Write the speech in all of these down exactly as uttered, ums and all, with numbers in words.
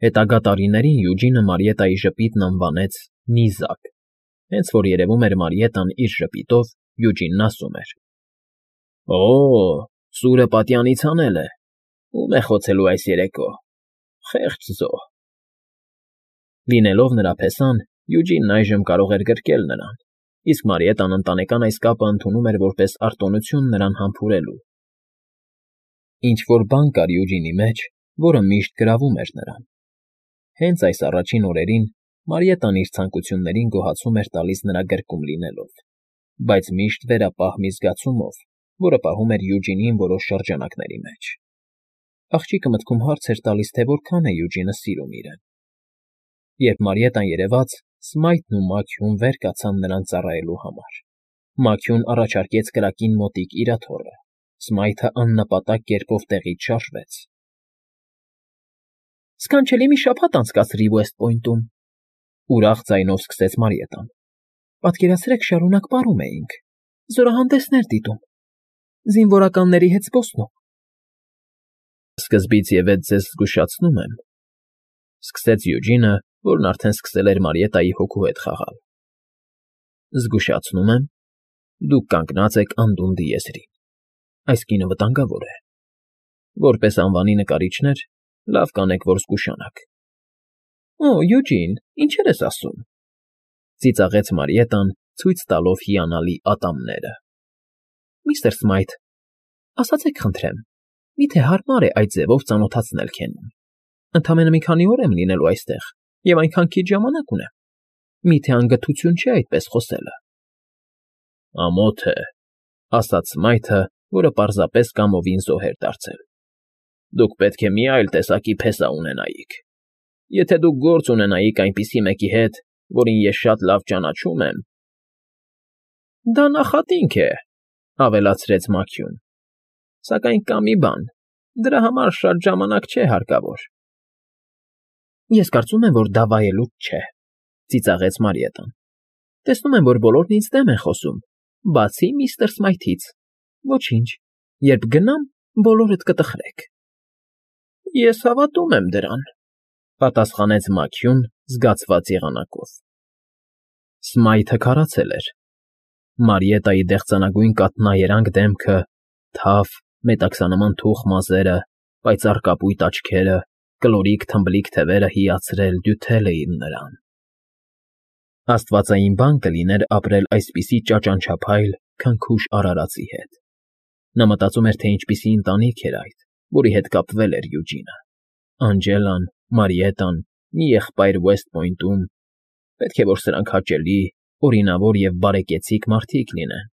Հետագա տարիներին Յուջինը Մարիետայի ժպիտն անվանեց Նիզակ, հենց որ երևում էր Մարիետան իր ժպիտով Յուջինն ասում էր. «Օ՜, սուրը պատյանից հանել է, ո՞ւմ է խոցելու այս երեկո, խեղճ զոհ»։ Լինելով նրա փեսան, Յուջինն այժմ կարող էր գրկել նրան, իսկ Մարիետան ընտանեկան այս կապը ընդունում էր որպես արտոնություն նրան համբուրելու։ Ինչ֊որ բան կար Յուջինի մեջ, որը միշտ գրավում էր նրան։ Հենց այս առաջին օրերին Մարիետան իր ցանկություններին գոհացում էր տալիս նրա գրկում լինելով, բայց միշտ վերապահ մի զգացումով, որը պահում էր Յուջինին որոշ շրջանակների մեջ։ Աղջիկը մտքում հարց էր տալիս, թե որքան է Յուջինը սիրում իրեն։ Երբ Մարիետան երևաց, Սմայթն ու Մաքիուն վեր կացան նրան ծառայելու համար։ Մաքիուն առաջարկեց կրակին մոտիկ իր աթոռը, Սմայթը աննպատակ կերպով տեղից շարժվեց։ Սքանչելի մի շաբաթ անցկացրի Ուեսթ Պոյնտում,֊ ուրախ ձայնով սկսեց Մարիետան։ Պատկերացրեք, շարունակ պարում էինք, զորահանդեսներ դիտում, զինվորականների հետ զբոսնում։ Սկզբից և էդ ձեզ զգուշացնում եմ,֊ սկսեց Յուջինը, որն արդեն սկսել էր Մարիետայի հոգու հետ խաղալ։ Զգուշացնում եմ, դուք կանգնած եք անդունդի եզրին, այս կինը վտանգավոր է։ Որպես անվանի նկարիչներ լավ կանեք, որ զգուշանաք։ Օ, Յուջին, ինչեր ես ասում,֊ ծիծաղեց Մարիետան, ցույց տալով հիանալի ատամները։ Միստր Սմայթ, ասացեք խնդրեմ, միթե հարմար է այդ ձևով ծանոթացնել քենին։ Ընդամենը մի քանի օր եմ լինելու այստեղ և այնքան քիչ ժամանակ ունեմ։ Միթե անգթություն չէ այդպես խոսելը։ Ամոթ է,֊ ասաց Սմայթը, որը պարզապես կամովին զոհ էր դարձել։ Դուք պետք է մի այլ տեսակի փեսա ունենայիք։ Եթե դուք գործ ունենայիք այնպիսի մեկի հետ, որին ես շատ լավ ճանաչում եմ… Դա նախատինք է,֊ ավելացրեց Մաքիուն,֊ սակայն կա մի բան, դրա համար շատ ժամանակ չէ հարկավոր։ Ես կարծում եմ, որ դա վայելուչ չէ,֊ ծիծաղեց Մարիետան։ Տեսնում եմ, որ բոլորն ինձ դեմ են խոսում, բացի միստր Սմայթից։ Ոչինչ, երբ գնամ, բոլորդ կտխրեք։ Ես հավատում եմ դրան,֊ պատասխանեց Մաքիուն զգացված եղանակով։ Սմայթը քարացել էր։ Մարիետայի դեղցանագույն կաթնաերանգ դեմքը, թավ, մետաքսանման թուխ մազերը, պայծառ կապույտ աչքերը, կլորիկ թմբլիկ թևերը հիացրել, դյութել էին նրան։ Աստվածային բան կլիներ ապրել այսպիսի ճաճանչափայլ, քնքուշ արարածի հետ։ Նա մտածում էր, թե ինչպիսի ընտանիք էր այդ, որի հետ կապվել էր Յուջինը։ Անջելան, Մարիետան, մի եղբայր Ուեսթ Պոյնտում… Պետք է որ սրանք հաճելի, օրինավոր և բարեկեցիկ մարդիկ լինեն։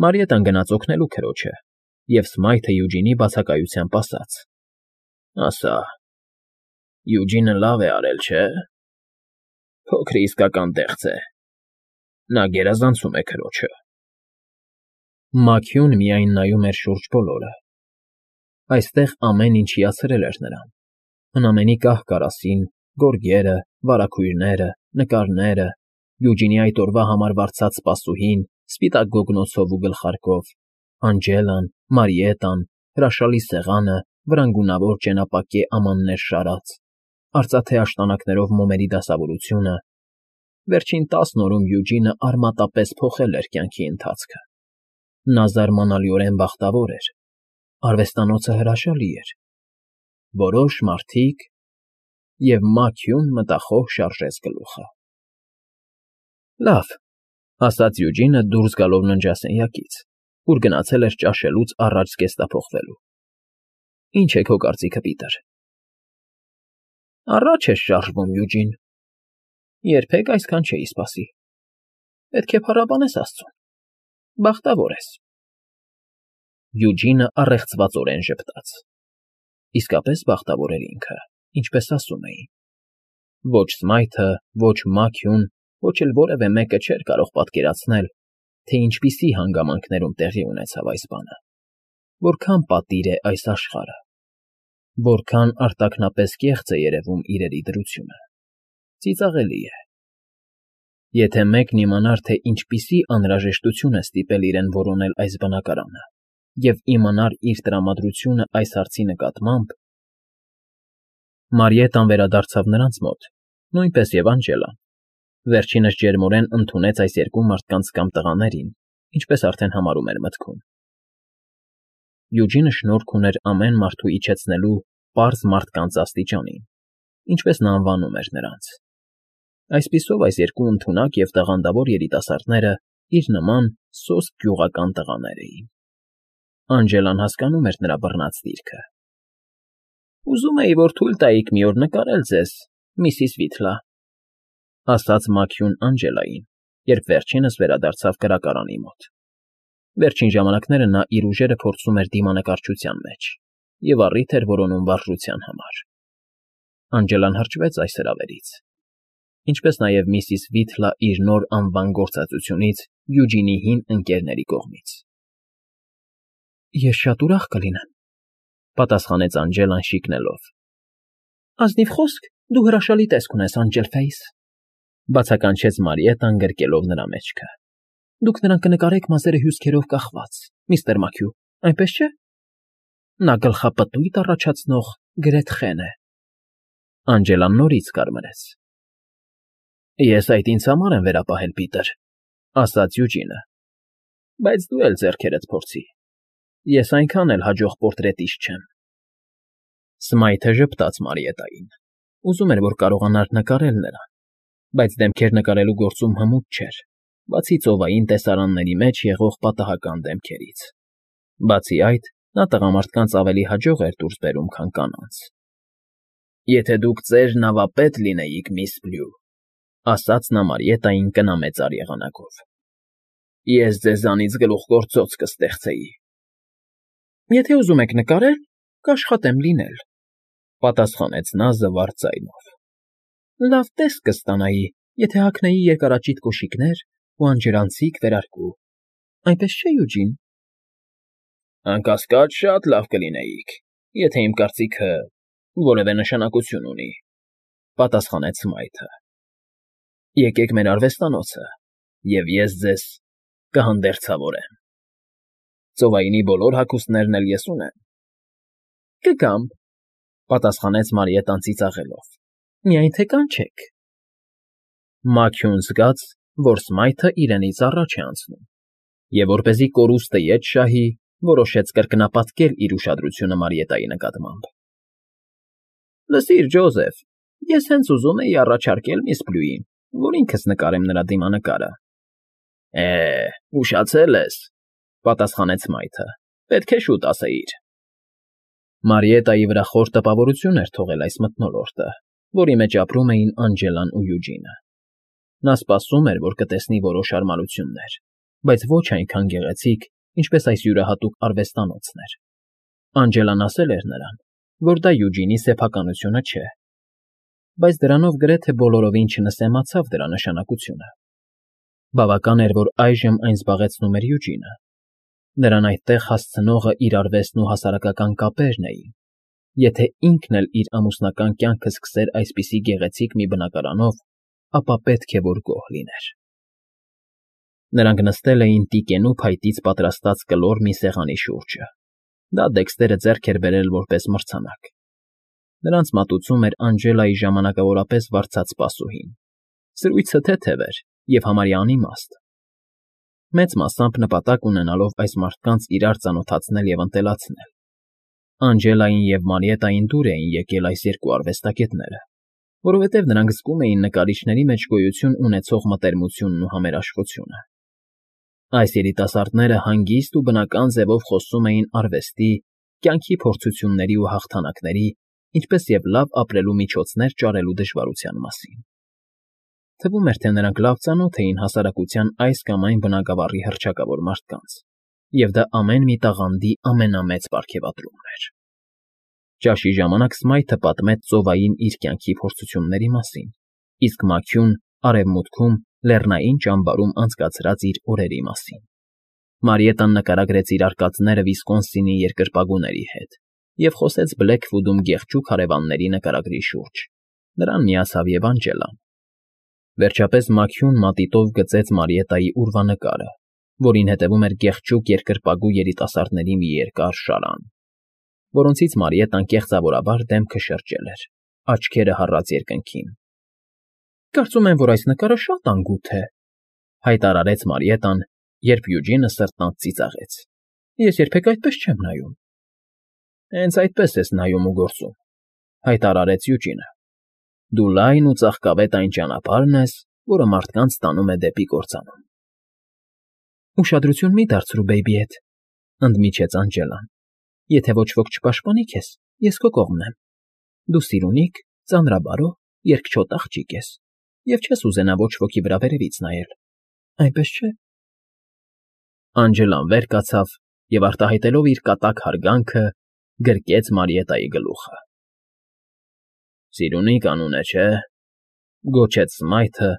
Մարիետան գնաց օգնելու քրոջը, և Սմայթը Յուջինի բացակայությամբ ասաց. Ասա, Յուջինը լավ է արել, չէ՞։ Փոքրը իսկական դեղց է։ Նա գերազանցում է քրոջը։ Մաքիուն միայն նայում էր շուրջ բոլորը։ Այստեղ ամեն ինչ հիացրել էր նրան։ Հնամենի կահ֊կարասին, գորգերը, վարագույրները, նկարները, Յուջինի այդ օրվա համար վարձած սպասուհին, սպիտակ գոգնոցով ու գլխարկով, Անջելան, Մարիետան, հրաշալի սեղանը, վրանգունավոր ճենապակե ամաններ շարած, արծաթե աշտանակներով մոմերի դասավորությունը… Վերջին տասն օրում Յուջինը արմատապես փոխել էր կյանքի ընթացքը։ Նա զարմանալիորեն բախտավոր էր։ Արվեստանոցը հրաշալի էր։ Որոշ մարդիկ… Եվ Մաքիուն մտախոհ շարժեց գլուխը։ Լավ,֊ ասաց Յուջինը դուրս գալով ննջասենյակից, ուր գնացել էր ճաշելուց առաջ զգեստափոխվելու։ Ի՞նչ է քո կարծիքը, Պիտեր։ Առաջ ես շարժվում, Յուջին… Երբեք այսքան չէի սպասի։ Պետք է փառաբանես աստծուն… Բախտավոր ես… Յուջինը առեղծվածորեն ժպտաց։ Իսկապես բախտավոր էր ինքը, ինչպես ասում էին։ Ոչ Սմայթը, ոչ Մաքիուն, ոչ էլ որևէ մեկը չէր կարող պատկերացնել, թե ինչպիսի հանգամանքներում տեղի ունեցավ այս բանը, որքան պատիր է այս աշխարհը, որքան արտաքնապես կեղծ է երևում իրերի դրությունը։ Ծիծաղելի է։ Եթե մեկն իմանար, թե ինչպիսի անհրաժեշտություն է ստիպել իրեն որոնել այս բնակարանը, և իմանար իր տրամադրությունը այս հարցի նկատմամբ… Մարիետան վերադարձավ նրանց մոտ, նույնպես և Անջելան. վերջինս ջերմորեն ընդունեց այս երկու մարդկանց կամ տղաներին, ինչպես արդեն համարում էր մտքում։ Յուջինը շնորք ուներ ամեն մարդու իջեցնելու պարզ մարդկանց աստիճանին, ինչպես նա անվանում էր նրանց։ Այսպիսով այս երկու ընդունակ և տաղանդավոր երիտասարդները իր նման սոսկ գյուղական տղաներ էին։ Անջելան հասկանում էր նրա բռնած դիրքը։ Ուզում էի, որ թույլ տայիք մի օր նկարել ձեզ, միսիս Վիթլա, ասաց Մաքյուն Անջելային, երբ վերջինս վերադարձավ կրակարանի մոտ։ Վերջին ժամանակները նա իր ուժերը փորձում էր դիմանկարչության մեջ և առիթ էր որոնում վարժության համար։ Անջելան հրճվեց այս հրավերից, ինչպես նաև միսիս Վիթլա իր նոր անվան գործածությունից Յուջինի հին ընկերների կողմից։ Ես շատ ուրախ կլինեմ, պատասխանեց Անջելան շիկնելով։ Ազնիվ խոսք, դու հրաշալի տեսք ունես, Անջելֆեյս, բացականչեց Մարիետան գրկելով նրա մեջքը։ Դուք նրան կնկարեք մազերը հյուսքերով կախված, միստր Մաքյու, այնպես չէ։ Նա գլխապտույտ առաջացնող գրեթխեն է։ Անջելան նորից կարմրեց։ Ես այդ ինձ համար եմ վերապահել, Պիտեր, ասաց Յուջինը, բայց դու էլ ձեռքերդ փորձի։ Ես այնքան էլ հաջող պորտրետիստ չեմ։ Սմայթը ժպտաց Մարիետային, ուզում էր, որ կարողանար նկարել նրան, բայց դեմքեր նկարելու գործում հմուտ չէր, բացի ծովային տեսարանների մեջ եղող պատահական դեմքերից։ Բացի այդ, նա տղամարդկանց ավելի հաջող էր դուրս բերում, քան կանանց։ Եթե դուք ծեր նավապետ լինեիք, միս Բլյու, ասաց նա Մարիետային կնամեծար եղանակով, ես ձեզանից գլուխգործոց կստեղծեի։ Եթե ուզում եք նկարել, կաշխատեմ լինել, պատասխանեց նա զվարթ ձայնով։ Լավ տեսք կստանայի, եթե հագնեի երկարաճիտ կոշիկներ ու անջրանցիկ վերարկու, այնպես չէ, Յուջին։ Անկասկած շատ լավ կլինեիք, եթե իմ կարծիքը որևէ նշանակություն ունի, պատասխանեց Սմայթը։ Եկեք մեր արվեստանոցը, և ես ձեզ կհանդերձավորեմ։ Ծովայինի բոլոր հագուստներն էլ ես ունեմ։ Կգամ, պատասխանեց Մարիետան ծիծաղելով։ Միայն թե կանչեք։ Մաքյուն զգաց, որ Սմայթը իրենից առաջ է անցնում, և որպեսզի կորուստը ետ շահի, որոշեց կրկնապատկել իր ուշադրությունը Մարիետայի նկատմամբ։ Լսիր, Ջոզեֆ, ես հենց ուզում էի առաջարկել միս Բլյուին, որ ինքս նկարեմ նրա դիմանկարը։ Է, ուշացել ես, պատասխանեց Սմայթը, պետք է շուտ ասեիր։ Մարիետայի վրա խոր տպավորություն էր թողել այս մթնոլորտը, որի մեջ ապրում էին Անջելան ու Յուջինը։ Նա սպասում էր, որ կտեսնի որոշ հարմարություններ, բայց ոչ այնքան գեղեցիկ, ինչպես այս յուրահատուկ արվեստանոցն էր։ Անջելան ասել էր նրան, որ դա Յուջինի սեփականությունը չէ, բայց դրանով գրեթե բոլորովին չնսեմացավ դրա նշանակությունը։ Բավական էր, որ այժմ այն զբաղեցնում էր Յուջինը։ Նրան այդտեղ հասցնողը իր արվեստն ու հասարակական կապերն էին։ Եթե ինքն էլ իր ամուսնական կյանքը սկսեր այսպիսի գեղեցիկ մի բնակարանով, ապա պետք է որ գոհ լիներ։ Նրանք նստել էին տիկենու փայտից պատրաստած կլոր մի սեղանի շուրջը։ Դա Դեքստերը ձեռք էր բերել որպես մրցանակ։ Նրանց մատուցում էր Անջելայի ժամանակավորապես վարձած սպասուհին։ Զրույցը թեթև էր և համարյա անիմաստ, մեծ մասամբ նպատակ ունենալով այս մարդկանց իրար ծանոթացնել և ընտելացնել։ Անջելային և Մարիետային դուր էին եկել այս երկու արվեստագետները, որովհետև նրանք զգում էին նկարիչների մեջ գոյություն ունեցող մտերմությունն ու համերաշխությունը։ Այս երիտասարդները հանգիստ ու բնական ձևով խոսում էին արվեստի, կյանքի փորձությունների ու հաղթանակների, ինչպես և լավ ապրելու միջոցներ ճարելու դժվարության մասին։ Թվում էր, թե նրանք լավ ծանոթ էին հասարակության այս կամ այն բնագավառի հռչակավոր մարդկանց, և դա ամեն մի տաղանդի ամենամեծ պարգևատրումն էր։ Ճաշի ժամանակ Սմայթը պատմեց ծովային իր կյանքի փորձությունների մասին, իսկ Մաքյուն արևմուտքում լեռնային ճամբարում անցկացրած իր օրերի մասին։ Մարիետան նկարագրեց իր արկածները Վիսկոնսինի երկրպագուների հետ և խոսեց Բլեքվուդում գեղջու քարևանների նկարագրի շուրջ։ Նրան միացավ և Անջելան։ Վերջապես Մաքյուն մատիտով գծեց Մարիետայի ուրվանկարը, որին հետևում էր գեղեցիկ երկրպագու երիտասարդների մի երկար շարան, որոնցից Մարիետան կեղծավորաբար դեմքը շրջել էր, Աչքերը հառած երկնքին։ ֊ Կարծում եմ, որ այս նկարը շատ անգութ է,֊ հայտարարեց Մարիետան, երբ Յուջինը սրտնաց ծիծաղեց։֊ Ես երբեք այդպես չեմ նայում։ ֊ Հենց այդպես ես նայում ու գործում,֊ հայտարարեց Յուջինը։֊ Դու լայն ու ծաղկավետ այն ճանապարհն ես, որը մարդկանց տանում է դեպի կործանում։ ֊ Ուշադրություն մի դարձրու բեյբիետ,֊ ընդմիջեց Անջելան։֊ Եթե ոչ ոք չպաշտպանի քեզ, ես քո կողմն եմ։ Դու սիրունիկ, ծանրաբարո, երկչոտ աղջիկ ես և չես ուզենա ոչ ոքի վրա վերևից նայել, այնպես չէ՞… Անջելան վեր կացավ և, արտահայտելով իր կատակ հարգանքը, գրկեց Մարիետայի գլուխը։ ֊ Սիրունի անուն է, չէ՞…֊ գոչեց Սմայթը,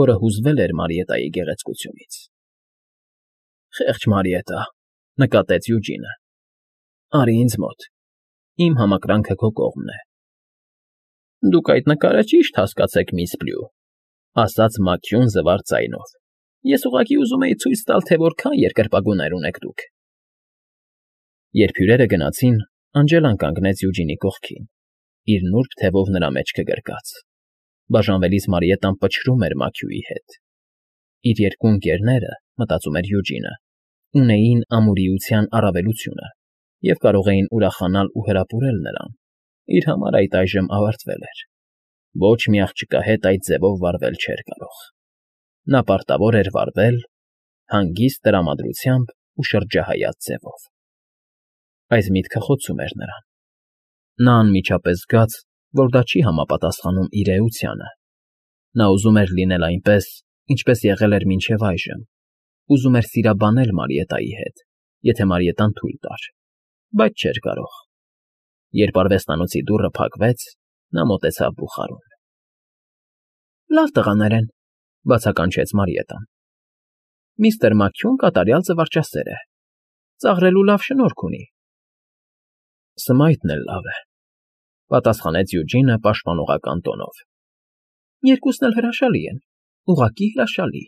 որը հուզվել էր Մարիետայի գեղեցկությունից։ ֊ Խեղճ Մարիետա,֊ նկատեց Յուջինը։֊ Արի ինձ մոտ, իմ համակրանքը քո կողմն է։ ֊ Դուք այդ նկարը ճիշտ հասկացեք, միս Բլյու,֊ ասաց Մաքիուն զվարճ ձայնով։֊ Ես ուղղակի ուզում էի ցույց տալ, թե որքան երկրպագուներ ունեք դուք։ Երբ հյուրերը գնացին, Անջելան կանգնեց Յուջինի կողքին, իր նուրբ թևով նրա մեջքը գրկած։ Բաժանվելիս Մարիետան պչրում էր Մաքիուի հետ։ Իր երկու ընկերները, մտածում էր Յուջինը, ունեին ամուրիության առավելությունը և կարող էին ուրախանալ ու հրապուրել նրան, իր համար այդ այժմ ավարտվել էր։ Ոչ մի աղջկա հետ այդ ձևով վարվել չէր կարող։ Նա պարտավոր էր վարվել հանգիստ տրամադրությամբ ու շրջահայաց ձևով։ Այս միտքը խոցում էր նրան։ Նա անմիջապես զգաց, որ դա չի համապատասխանում իր էությանը։ Նա ուզում էր լինել այնպես, ինչպես եղել էր մինչև այժմ, ուզում էր սիրաբանել Մարիետայի հետ, եթե Մարիետան թույլ տար, բայց չէր կարող։ Երբ արվեստանոցի դուռը փակվեց, նա մոտեցավ բուխարուն։ ֊ Լավ տղաներ են,֊ բացականչեց Մարիետան։ ֊ Միստր Մաքիուն կատարյալ զվարճասեր է, ծաղրելու լավ շնորք ունի։ ֊ Սմայթն էլ լավ է,֊ պատասխանեց Յուջինը պաշտպանողական տոնով։ ֊ Երկուսն էլ հրաշալի են, ուղղակի հրաշալի,֊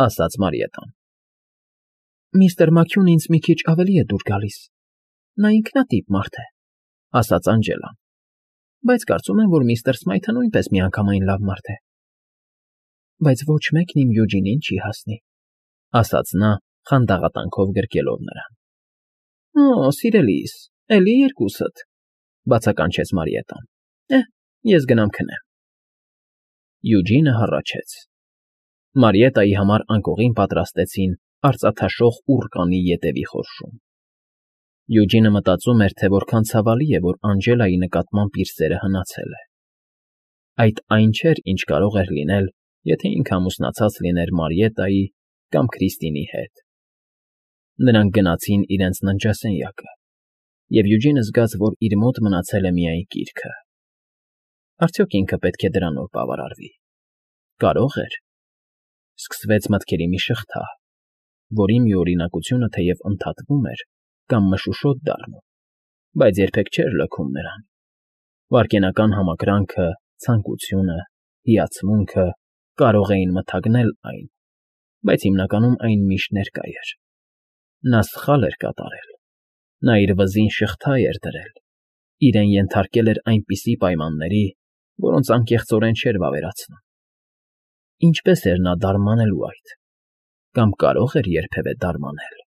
ասաց Մարիետան։ ֊ Միստր Մաքիունը ինձ մի քիչ ավելի է դուր գալիս, նա ինքնատիպ մարդ է,֊ ասաց Անջելան,֊ բայց կարծում եմ, որ միստր Սմայթը նույնպես միանգամայն լավ մարդ է։ ֊ Բայց ոչ մեկն իմ Յուջինին չի հասնի,֊ ասաց նա, խանդաղատանքով գրկելով նրան։ ֊ Օ՜, սիրելիս, էլի երկուսդ,֊ բացականչեց Մարիետան։ ֊ Էհ, ես գնամ քնեմ։ Յուջինը հառաչեց։ Մարիետայի համար անկողին պատրաստեցին արծաթաշող ուռկանի ետևի խորշում։ Յուջինը մտածում էր, թե որքան ցավալի է, որ Անջելայի նկատմամբ իր սերը հնացել է։ Այդ այն չէր, ինչ կարող էր լինել, եթե ինքը ամուսնացած լիներ Մարիետայի կամ Քրիստինի հետ։ Նրանք գնացին իրենց ննջասենյակը, և Յուջինը զգաց, որ իր մոտ մնացել է միայն գիրքը։ Արդյոք ինքը պետք է դրանով բավարարվի։ Կարո՞ղ էր։ Սկսվեց մտքերի մի շղթա, որի միօրինակությունը թեև ընդհատվում էր կամ մշուշոտ դառնում, բայց երբեք չէր լքում նրան։ Վայրկենական համակրանքը, ցանկությունը, հիացմունքը կարող էին մթագնել այն, բայց հիմնականում այն միշտ ներկա էր։ Նա սխալ էր կատարել։ Նա իր վզին շղթա էր դրել, իրեն ենթարկել էր այնպիսի պայմանների, որոնց անկեղծորեն չէր վավերացնում։ Ինչպե՞ս էր նա դարմանելու այդ, կամ կարո՞ղ էր երբևէ դարմանել։